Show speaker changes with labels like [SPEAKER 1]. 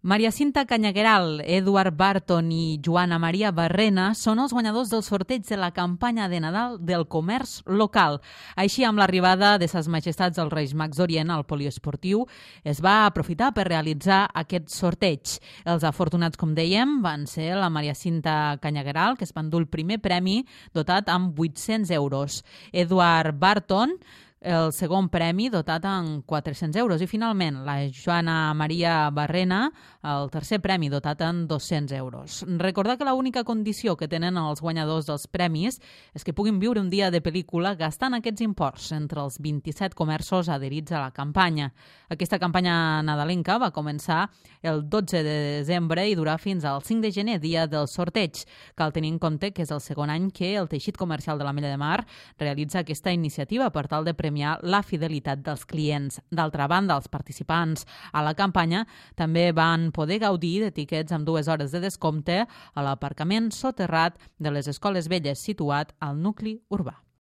[SPEAKER 1] Maria Cinta Canyagueral, Eduard Barton i Joana Maria Barrena són els guanyadors del sorteig de la campanya de Nadal del comerç local. Així, amb l'arribada de Ses Majestats dels Reis Mags d'Orient al poliesportiu, es va aprofitar per realitzar aquest sorteig. Els afortunats, com dèiem, van ser la Maria Cinta Canyagueral, que es va endur el primer premi dotat amb 800 euros. Eduard Barton, el segon premi dotat amb 400 euros. I finalment, la Joana Maria Barrena, el tercer premi dotat amb 200 euros. Recordar que l'única condició que tenen els guanyadors dels premis és que puguin viure un dia de pel·lícula gastant aquests imports entre els 27 comerços adherits a la campanya. Aquesta campanya nadalenca va començar el 12 de desembre i durà fins al 5 de gener, dia del sorteig. Cal tenir en compte que és el segon any que el teixit comercial de l'Ametlla de Mar realitza aquesta iniciativa per tal de premiar la fidelitat dels clients. D'altra banda, els participants a la campanya també van poder gaudir de tiquets amb 2 hores de descompte a l'aparcament soterrat de les Escoles Velles situat al nucli urbà.